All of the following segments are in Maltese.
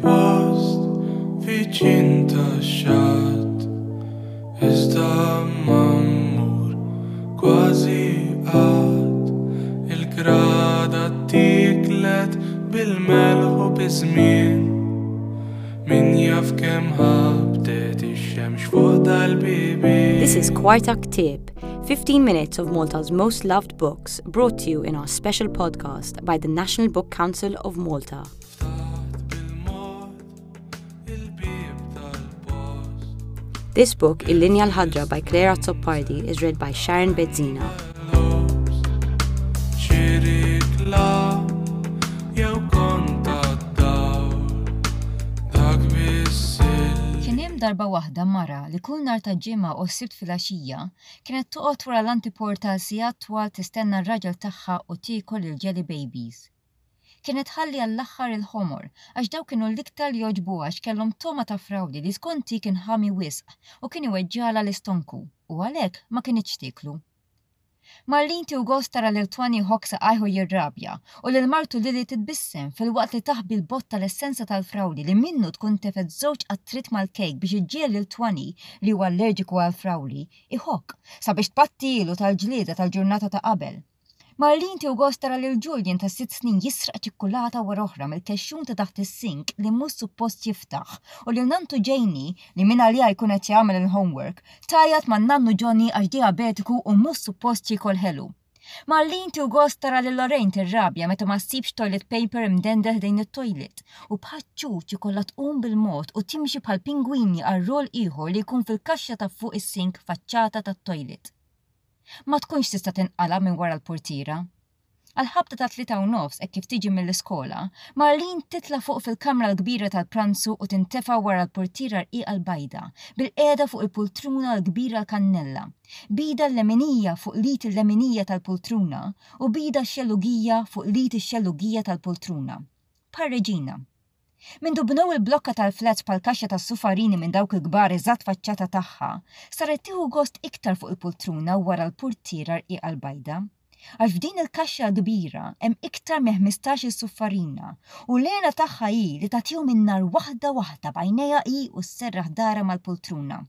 post viċin tax-xatt Iżda ma mmur kważi qatt Il-grada ttiklet bil-melħ u biż-żmien Min jaf kemm ħabtet ix-xemx fuq dal-bibien This is Kwarta Ktieb, 15 minutes of Malta's most loved books brought to you in our special podcast by the National Book Council of Malta. This book, Il-Linja l-Ħadra by Claire Azzopardi, is read by Sharon Bezzina. Kien hemm darba waħda mara li kull nhar ta' Ġimgħa u Sibt filgħaxija kienet toqgħod wara l-antiporta għal sigħat twal tistenna r-raġel tagħha u tiekol il-jelly babies. Kienet tħalli għall-aħħar il-ħomor, għax dawk kienu l-iktar li jogħġbuha għax kellhom togħma ta' frawli li skont hi kien ħami wisq u kien iweġġagħlha l-istonku u għalhekk ma kinitx tieklu. Marlene tieħu gost tara lil Twanny jħokk saqajh u jirrabja u lil martu Lily titbissem filwaqt li taħbi l-bott tal-essenza tal-frawli li minnu tkun tefgħet żewġ qattriet mal-kejk biex iġġiegħel lil Twanny, li huwa allerġiku għall-frawli, iħokk, sabiex tpattilu tal-ġlieda tal-ġurnata ta' qabel. Marlene tieħu gost tara lil Julian ta' sitt snin jisraq ċikkulata wara oħra mill-kexxun ta' taħt is-sink li mhux suppost jiftaħ u lil nanntu Janie, li mingħaliha jkun qed jagħmel il-homework, tgħajjat man-nannu Johnny għax dijabetiku u mhux suppost jiekol ħelu. Marlene tieħu gost tara lil Lorraine tirrabja meta ma ssibx toilet paper imdendel ħdejn it-toilet u bħaċ-ċuċ ikollha tqum bil-mod u timxi bħal pingwini għal roll ieħor li jkun fil-kaxxa ta' fuq is-sink faċċata tat-toilet. Ma tkunx tista' tinqala' minn wara l-purtiera. Għall-ħabta tat-tlieta u nofs hekk kif tiġi mill-iskola, Marlene titla' fuq fil-kamra l-kbira tal-pranzu u tintefa' wara l-purtiera rqiqa l-bajda, bilqiegħda fuq il-pultruna l-kbira l-kannella, b'idha l-leminija fuq l-id il-leminija tal-pultruna u b'idha x-xellugija fuq l-id ix-xellugija tal-pultruna. Bħal reġina. Mindu bnew il-blokka tal-flats bħal kaxxa tas-sufarini minn dawk il-kbar eżatt faċċata tagħha, saret tieħu gost iktar fuq il-pultruna wara l-purtiera rqiqa l-bajda. Għax f'din il-kaxxa l-kbira hemm iktar minn ħmistax-il suffarina u l-hena tagħha hi li tagħtihom in-nar waħda waħda b'għajnejha hi u sserraħ darha mal-pultruna.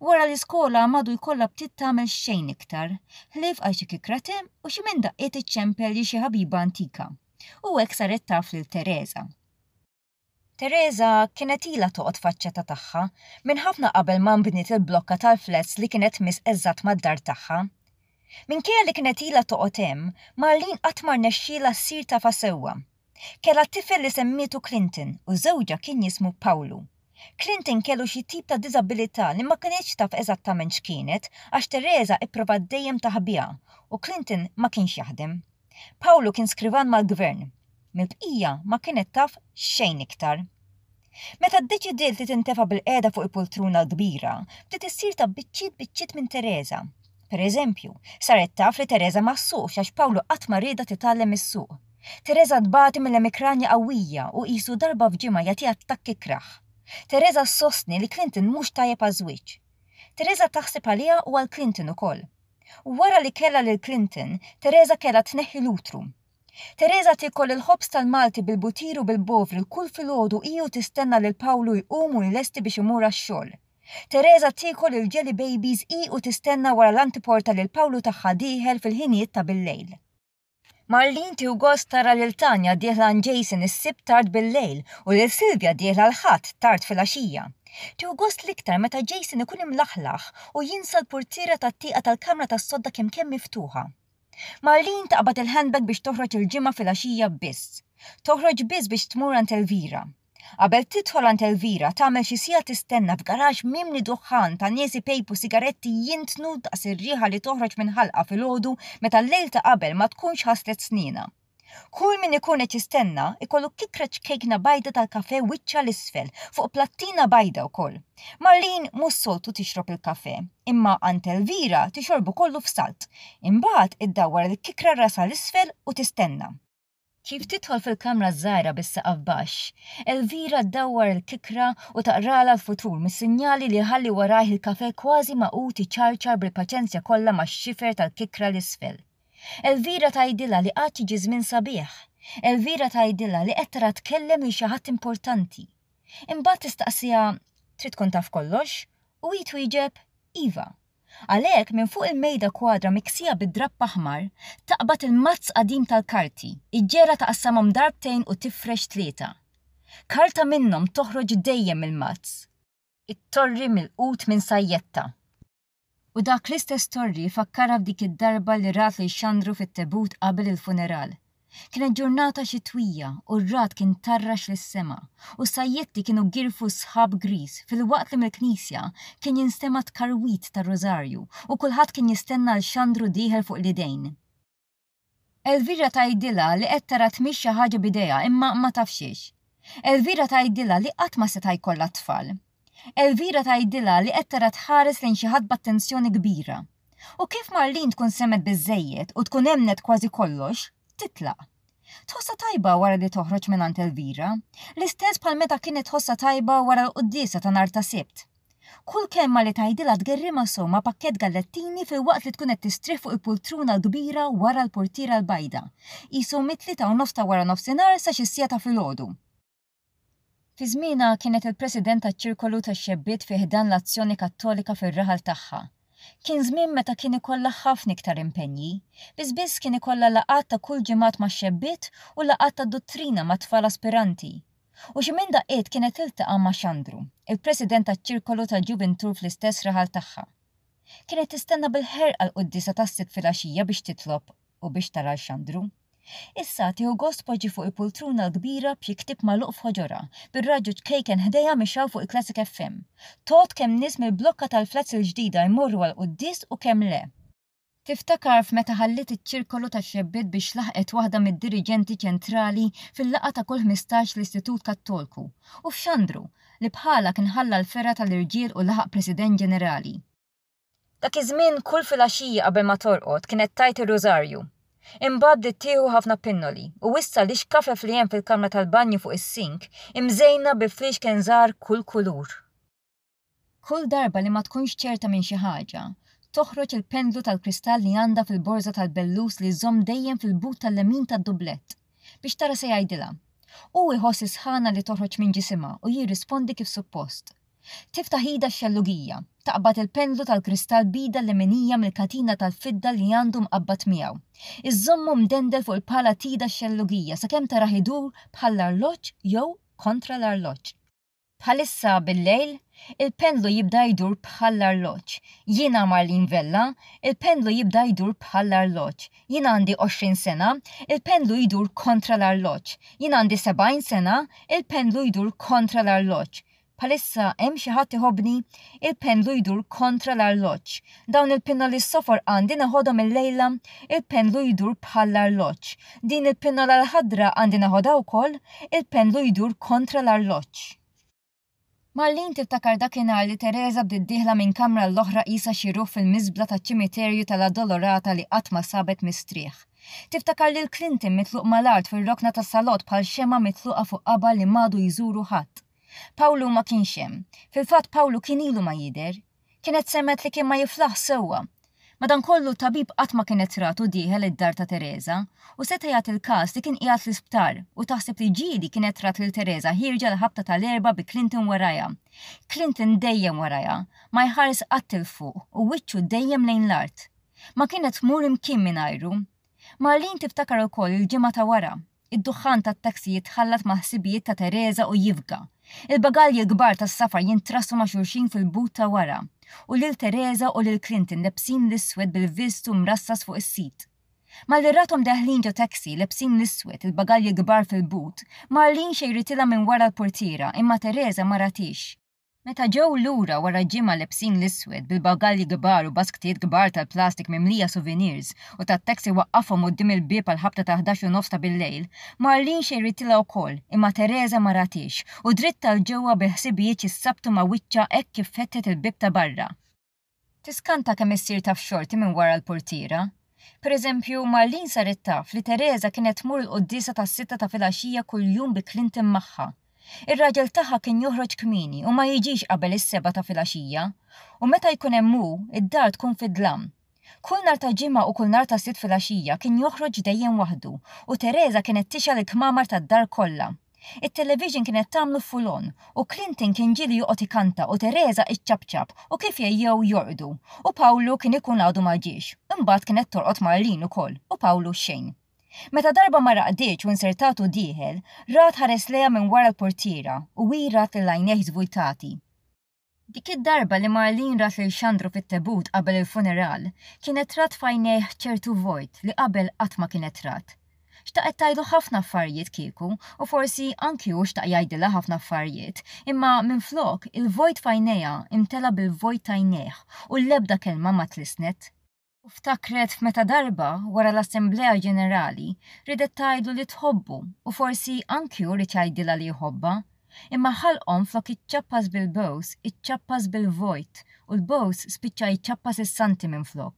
Wara l-iskola m'għadu jkollha btiet tagħmel xejn iktar, ħlief għal xi kikra te u xi minn daqqiet iċċempel lil xi ħabiba antika. U hekk saret taf lil Tereża. Tereża kienet ilha toqgħod faċċata tagħha minn ħafna qabel ma nbniet il-blokka tal-flats li kienet tmiss eżatt mad-dar tagħha. Minkejja li kienet ilha toqgħod hemm, Marlene qatt ma rnexxielha ssir tafha sewwa. Kellha tifel li semmietu Clinton u żewġha kien jismu Pawlu. Clinton kellu xi tip ta' diżabilità li ma kinitx taf eżattament x'kienet għax Tereża ipprovat dejjem taħbiha u Clinton ma kienx jaħdem. Pawlu kien skrivan mal-gvern. Mill-bqija ma kienet taf xejn iktar. Meta ddeċidiet li tintefa' bilqiegħda fuq il-pultruna l-kbira, bdiet issir taf biċċiet biċċiet minn Tereża. Per eżempju, saret taf li Tereża ma ssuqx għax Pawlu qatt ma riedha titgħallem issuq. Tereża tbati mill-emikranja qawwija u qisu darba f'ġimgħa jagħtiha attakk ikrah. Tereża ssostni li Clinton mhux tajjeb għaż-żwieġ. Tereża taħseb għaliha u għal Clinton ukoll. Wara li kellha lil Clinton, Tereża kellha tneħħi l-utru. Tereża tiekol il-ħobż tal-Malti bil-butir u bil-bovril kull filgħodu hi u tistenna lil Pawlu jqum u jlesti biex imur għax-xogħol. Tereża tiekol il-jelly babies hi u tistenna wara l-antiporta lil Pawlu tagħha dieħel fil-ħinijiet ta' billejl. Marlene tieħu gost tara lil Tanya dieħla għand Jason is-Sibt tard billejl u lil Sylvia dieħla l-Ħadd tard filgħaxija. Tieħu gost l-iktar meta Jason ikun imlaħlaħ u jinsa l-purtiera tat-tieqa tal-kamra tas-sodda kemm kemm miftuħa. Marlene taqbad il-handbag biex toħroġ il-Ġimgħa filgħaxija biss. Toħroġ biss biex tmur għand Elvira. Qabel tidħol għand Elvira tagħmel xi siegħa tistenna f'garaxx mimli duħħan ta' nies ipejpu sigaretti jintnu daqs ir-riħa li toħroġ minn ħalqha filgħodu meta l-lejl ta' qabel ma tkunx ħaslet snienha. Kull min ikun qed jistenna jkollu kikra ċkejkna bajda tal-kafè wiċċha 'l isfel fuq plattina bajda wkoll. Marlene mhux soltu tixrob il-kafè, imma għand Elvira tixorbu kollu f'salt. Imbagħad iddawwar il-kikra rasha 'l isfel u tistenna. Kif tidħol fil-kamra ż-żgħira bis-saqaf baxx, Elvira ddawwar il-kikra u taqralha l-futur mis-sinjali li jħalli warajh il-kafè kważi magħqud iċarċar bil-paċenzja kollha max-xifer tal-kikra 'l isfel. Elvira tgħidilha li għad jiġi żmien sabiħ. Elvira tgħidilha li qed tara tkellem lil xi ħadd importanti. Imbagħad tistaqsiha trid tkun taf kollox u hi twieġeb iva. Għalhekk minn fuq il-mejda kwadra miksija bid-drapp aħmar, taqbad il-mazz qadim tal-karti, iġġegħelha taqassamhom darbtejn u tifrex tlieta. Karta minnhom toħroġ dejjem mill-mazz. It-torri milqut minn sajjetta. U dak l-istess torri fakkarha f'dik id-darba li rat lil Xandru fit-tebut qabel il-funeral. Kienet ġurnata xitwija u r-ragħad kien tarrax lis-sema u s-sajjetti kienu girfu sħab griż filwaqt li mill-knisja kien jinstema' t-tkarwit tar-rużarju u kulħadd kien jistenna 'l Xandru dieħel fuq l-idejn. Elvira tgħidilha li qed tara tmiss xi ħaġa b'idejha imma ma tafx xiex. Elvira tgħidilha li qatt ma seta' jkollha t-tfal. Elvira tgħidilha li qed tara tħares lejn xi ħadd b'attenzjoni kbira. U kif Marlene tkun semgħet biżżejjed u tkun emmnet kważi kollox, titlaq. Tħossha tajba wara li toħroġ mingħand Elvira, l-istess bħal meta kienet tħossha tajba wara l-quddiesa ta' nhar ta' Sibt. Kull kelma li tgħidilha tgerrimha sew ma' pakkett gallettini filwaqt li tkun qed tistrieħ fuq il-pultruna l-kbira wara l-purtiera l-bajda, qisu mit-tlieta u nofs ta' waranofsinhar sa xi siegħa ta' filgħodu. Fi żmienha kienet il-President taċ-Ċirkolu tax-Xebbiet fi ħdan l-Azzjoni Kattolika fir-raħal tagħha. Kien żmien meta kien ikollha ħafna iktar impenji. Biss biss kien ikollha laqgħat ta' kull ġimgħat max-xebbiet u laqgħat ta' duttrina mat-tfal aspiranti. U xi minn daqqiet kienet tiltaqa' ma' Xandru, il-President taċ-Ċirkolu tal-Ġuvintur fl-istess raħal tagħha. Kienet tistenna bil-ħerqa l-quddiesa tas-Sibt filgħaxija biex titlob u biex tara 'l Xandru. Issa tieħu gost tpoġġi fuq il-pultruna l-kbira b'xi ktieb magħluq f'ħoġorha, bir-radju ċkejken ħdejha mixgħul fuq il-Classic FM. Tgħodd kemm nies mill-blokka tal-flats il-ġdida jmorru għall-quddies u kemm le. Tiftakar f'meta ħalliet iċ-ċirkolu tax-xebbiet biex laħqet waħda mid-diriġenti ċentrali fil-laqgħa ta' kull 15 l-Istitut Kattolku, u f'Xandru, li bħalha kien ħalla l-fergħa tal-irġiel u laħaq President Ġenerali. Dak iż-żmien kull filgħaxija qabel ma torqod kienet tgħid ir-rużarju. Imbagħad bdiet tieħu ħafna pinnoli u issa l-ixkafef li hemm fil-kamra tal-banju fuq is-sink imżejna bi fliexken żgħar kull kulur. Kull darba li ma tkunx ċerta minn xi ħaġa, toħroġ il-pendlu tal-kristall li għandha fil-borża tal-bellus li żżomm dejjem fil-but tal-lemin tad-dublett, biex tara se jgħidilha. Hu jħoss is-sħana li toħroġ minn ġisimha u jirrispondi kif suppost. Tiftaħ idha x-xellugija, taqbad il-pendlu tal-kristall b'idha l-leminija mill-katina tal-fidda li għandu mqabbad miegħu. Iżżommu mdendel fuq il-pala t'idha x-xellugija sakemm tarah idur bħall-arloġġ jew kontra l-arloġġ. Bħalissa bil-lejl, il-pendlu jibda jdur bħall-arloġġ. Jiena Marlene Vella, il-pendlu jibda jdur bħall-arloġġ. Jien għandi 20 sena, il-pendlu jdur kontra l-arloġġ. Jien għandi 70 sena, il-pendlu jdur kontra l-arloġġ. Bħalissa hemm xi ħadd iħobbni? Il-pendlu jdur kontra l-arloġġ. Dawn il-pinnoli s-sofor għandi neħodhom illejla? Il-pendlu jdur bħall-arloġġ. Din il-pinnola l-ħadra għandi neħodha wkoll? Il-pendlu jdur kontra l-arloġġ. Marlene tiftakar dakinhar li Tereża bdiet dieħla minn kamra għall-oħra qisha xi ruħ fil-miżbla taċ-ċimiterju tal-Addolorata li qatt ma sabet mistrieħ. Tiftakar lil Clinton mitluq mal-art fir-rokna tas-salott bħal xemgħa mitluqa fuq qabar li m'għadu jżuru ħadd. Pawlu ma kienx hemm. Fil-fatt Pawlu kien ilu ma jidher. Kienet semgħet li kien ma jiflaħx sewwa. Madankollu t-tabib qatt ma kienet ratu dieħel id-dar ta' Tereża u seta' jagħti l-każ li kien qiegħed l-isptar u taħseb li ġieli kienet rat lil Tereża ħierġa l-ħabta tal-erbgħa bi Clinton warajha. Clinton dejjem warajha, ma jħares qatt 'il fuq u wiċċu dejjem lejn l-art. Ma kienet tmur imkien mingħajru. Marlene tiftakar ukoll il-ġimgħa ta' wara. Id-duħħan tat-taxi jitħallat mal-ħsibijiet ta' Tereża u jifga. Il-bagalji l-kbar tas-safar jintrassu ma' xulxin fil-but ta' wara. U lil Tereża u lil Clinton lebsin l-iswed bil-vistu mrassas fuq is-sit. Malli rathom deħlin ġo taxi, lebsin l-iswed, il-bagalji kbar fil-but, Marlene xejritilha minn wara l-purtiera imma Tereża ma rathiex. Meta ġew lura wara ġimgħa lebsin l-iswed, bil-bagalji kbar u basktijiet kbar tal-plastik mimlija souvenirs u tat-taxi waqqafhom quddiem il-bieb għall-ħabta ta' 11 u nofs ta' billejl, Marlene xejritilha wkoll, imma Tereża ma rathiex u dritt għal ġewwa bil-ħsibijiet jissabtu ma' wiċċha hekk kif fetħet il-bieb ta' barra. Tiskanta kemm issir taf xorti minn wara l-purtiera. Per eżempju, Marlene saret taf li Tereża kienet tmur il-quddiesa tas-sitta ta' filgħaxija kuljum bi Clinton magħha. Ir-raġel tagħha kien joħroġ kmieni u ma jiġix qabel is-sebgħa ta' filgħaxija. U meta jkun hemm hu, id-dar tkun fid-dlam. Kull nhar ta' Ġimgħa u kull nhar ta' Sibt filgħaxija kien joħroġ dejjem waħdu u Tereża kienet tixgħel il-kmamar tad-dar kollha. It-television kienet tagħmlu full on u Clinton kien ġieli joqgħod ikanta u Tereża iċċapċap u kif jgħejjew jorqdu u Pawlu kien ikun għadu ma ġiex. Imbagħad kienet torqod Marlene ukoll u Pawlu xejn. Meta darba ma raqditx u nsertatu dieħel, rat ħares lejha minn wara l-purtiera u hi rat lil għajnejh żvujtati. Dik id-darba li Marlene rat lil Xandru fit-tebut qabel il-funeral, kienet rat f'għajnejh ċertu vojt li qabel qatt ma kienet rat. Xtaqet tgħidlu ħafna affarijiet kieku, u forsi anki hu xtaq jgħidilha ħafna affarijiet, imma minflok, il-vojt f'għajnejha imtela bil-vojt t'għajnejh u l-ebda kelma ma tlissnet. U ftakret f'meta darba, wara l-Assemblea Ġenerali, riedet tgħidlu li tħobbu u forsi anki hu ried jgħidilha li jħobbha. Imma ħalqhom flok iċċappas bil-bews, iċċappas bil-vojt u l-bews spiċċa jċappas is-santi minflok.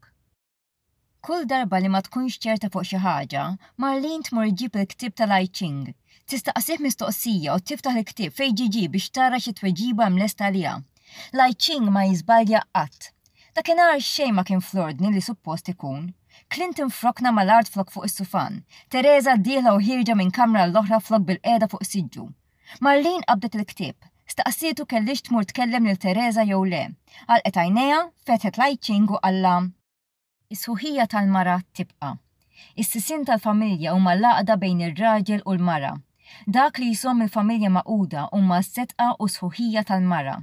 Kull darba li ma tkunx ċerta fuq xi ħaġa, Marlene tmur iġġib il-ktieb tal-I Ching. Tistaqsih mistoqsija u tiftaħ il-ktieb fejn ġie ġie biex tara xi tweġiba hemm lesta għaliha. L-I Ching ma jiżbalja qatt. Dakinhar xejn ma kien fl-ordni li suppost ikun. Clinton f'rokna mal-art flok fuq is-sufan, Tereża dieħla u ħierġa minn kamra għall-oħra flok bilqiegħda fuq siġġu. Marlene qabdet il-ktieb. Staqsietu kellhiex tmur tkellem lil Tereża jew le. Għalqet għajnejha, fetħet l-I Ching u qallha. Is-sħuħija tal-mara tibqa'. Is-sisien tal-familja huma l-għaqda bejn ir-raġel u l-mara. Dak li jżomm il-familja magħquda huma s-sedqa u s-sħuħija tal-mara.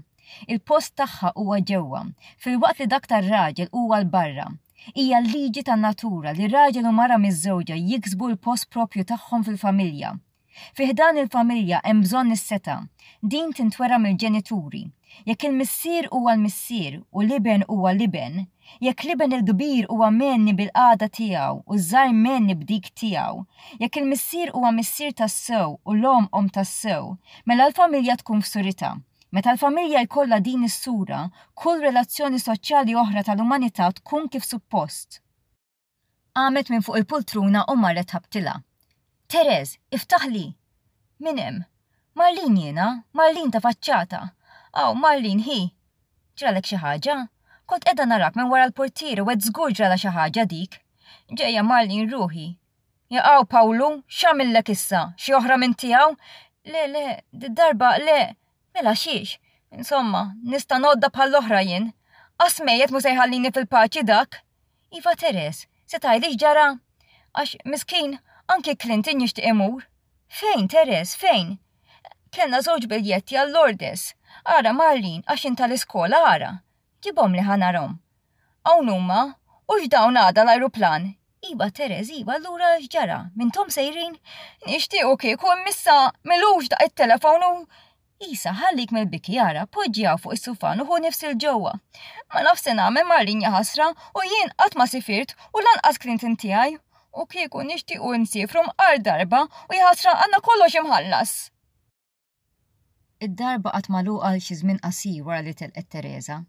Il-post tagħha huwa ġewwa, filwaqt li dak tar-raġel huwa 'l barra. Hija l-liġi tan-natura li raġel u mara miżżewġa jiksbu l-post proprju tagħhom fil-familja. Fi ħdan il-familja hemm bżonn is-setgħa. Din tintwera mill-ġenituri. Jekk il-missier huwa l-missier u l-iben huwa l-iben, jekk l-iben il-kbir huwa mgħenni bil-qagħda tiegħu u ż-żgħir mgħenni b'dik tiegħu, jekk il-missier huwa missier tassew u l-omm omm tassew, mela l-familja tkun f'suritha. Meta l-familja jkollha din is-sura, kull relazzjoni soċjali oħra tal-umanità tkun kif suppost. Qamet minn fuq il-pultruna u marret ħabtilha. Tereż, iftaħli! Min hemm? Marlene jiena, Marlene ta' faċċata. Aw, Marlene, ħi! Ġralek xi ħaġa? Kont qiegħda narak minn wara l-purtieri u għedt żgur ġralha xi ħaġa dik. Ġejja Marlene ruħi. Jaqaw Pawlu, x'għamillek issa? Xi oħra minn tiegħu? Le, le, did-darba le. Mela xiex? Insomma, nista' ngħodda bħall-oħra jien. Qas mejjet mhu se jħallini fil-paċi dak. Iva Teres, se tgħidli x'ġara? Għax, miskin, anki Clinton jixtieq imur. Fejn, Teres, fejn? Kellna żewġ biljetti għal Lourdes. Ara, Marlene, għax int tal-iskola, ara. Ġibhomli ħa narhom. Hawn huma, u x'dawn għada l-ajruplan? Iva, Teres, iva, allura x'ġara? Mintom sejrin? Nixtiequ kieku imma issa m'ilux daqq it-telefon u Isa, ħallik mill-biki ara, poġġi hawn fuq is-sufan u ħu nifs 'il ġewwa. Ma nafx se nagħmel Marlene jaħasra u jien qatt ma sifirt u lanqas Clinton tiegħi. U kieku nixtiequ nsiefru mqar darba u jaħasra għandna kollox imħallas. Id-dar baqgħet magħluqa għal xi żmien qasir wara li telqet Tereża.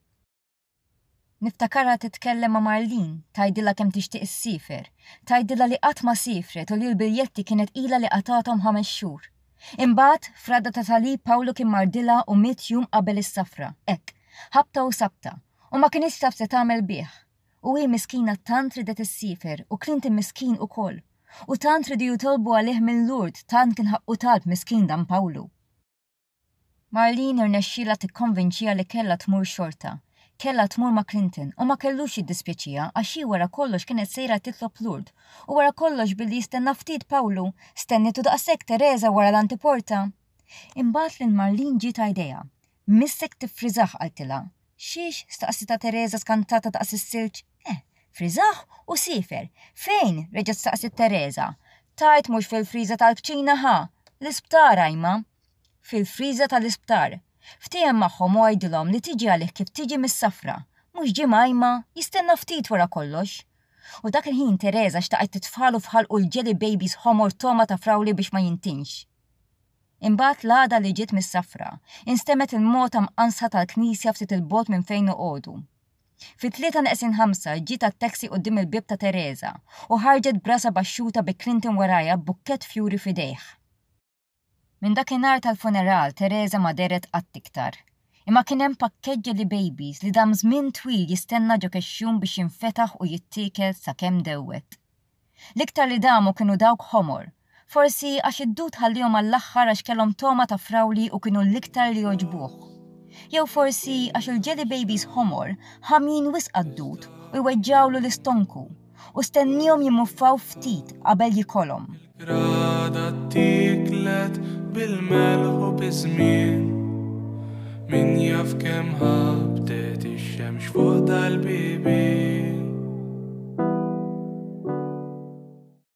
Niftakarha titkellem ma' Marlene, tgħidilha kemm tixtieq issiefer, tgħidilha li qatt ma siefret u li l-biljetti kienet ilha li qatgħathom ħames xhur. Imbagħad, f'radda ta' salib Pawlu kien mardilha u miet jum qabel is-safra, hekk, ħabta u sabta, u ma kinitx taf se tagħmel bih. U hi miskina tant riedet issiefer u Clinton miskin ukoll. U tant riedu jitolbu għalih minn Lourdes tant kien ħaqqu talb miskin dan Pawlu. Marlene irnexxielha tikkonvinċiha li kellha tmur xorta. Kellha tmur ma' Clinton u ma kellux jiddispjaċiha għax hi wara kollox kienet sejra titlob Lourdes u wara kollox billi jistenna ftit Pawlu, stennitu daqshekk Tereża wara l-antiporta. Imbagħad lil Marlene ġiet idea. Missek tiffriżah qaltilha. Xiex? staqsitha Tereża skantata daqs is-silġ. Eh, friżah u siefer. Fejn? reġgħet staqsiet Tereża. Tgħid mhux fil-friża tal-kċina ħa! L-isptar ajma. Fil-friża tal-isptar. Ftiehem magħhom u għidilhom li tiġi għalih kif tiġi mis-safra. Mhux ġimgħa imma, jistenna ftit wara kollox. U dak il-ħin Tereża xtaqet titfagħlu f'ħalqu l-jelly babies ħomor togħma ta' frawli biex ma jintinx. Imbagħad l-għada li ġiet mis-safra, instemgħet il-mota mqanżħa tal-knisja ftit 'il bogħod minn fejn noqogħdu. Fit-tlieta neqsin ħamsa ġiet għat-taxi quddiem il-bieb ta' Tereża u ħarġet b'rasha baxxuta bi Clinton warajha b'bukkett fjuri f'idejh. Minn dakinhar tal-funeral Tereża ma dehret qatt iktar. Imma kien hemm pakkett Jelly Babies li dam żmien twil jistenna ġo kexxun biex jinfetaħ u jittiekel sakemm dewwet. L-iktar li damu kienu dawk ħomor, forsi għax id-dud ħalliehom għall-aħħar għax kellhom togħma ta' frawli u kienu l-iktar li jogħġbuh. Jew forsi għax il-jelly babies ħomor ħamjin wisq għad-dud u jweġġgħulu l-istonku u stenniehom jimmuffaw ftit qabel jikolhom. Il-grada ttieklet bil-melħ u biż-żmien, min jaf kemm ħa.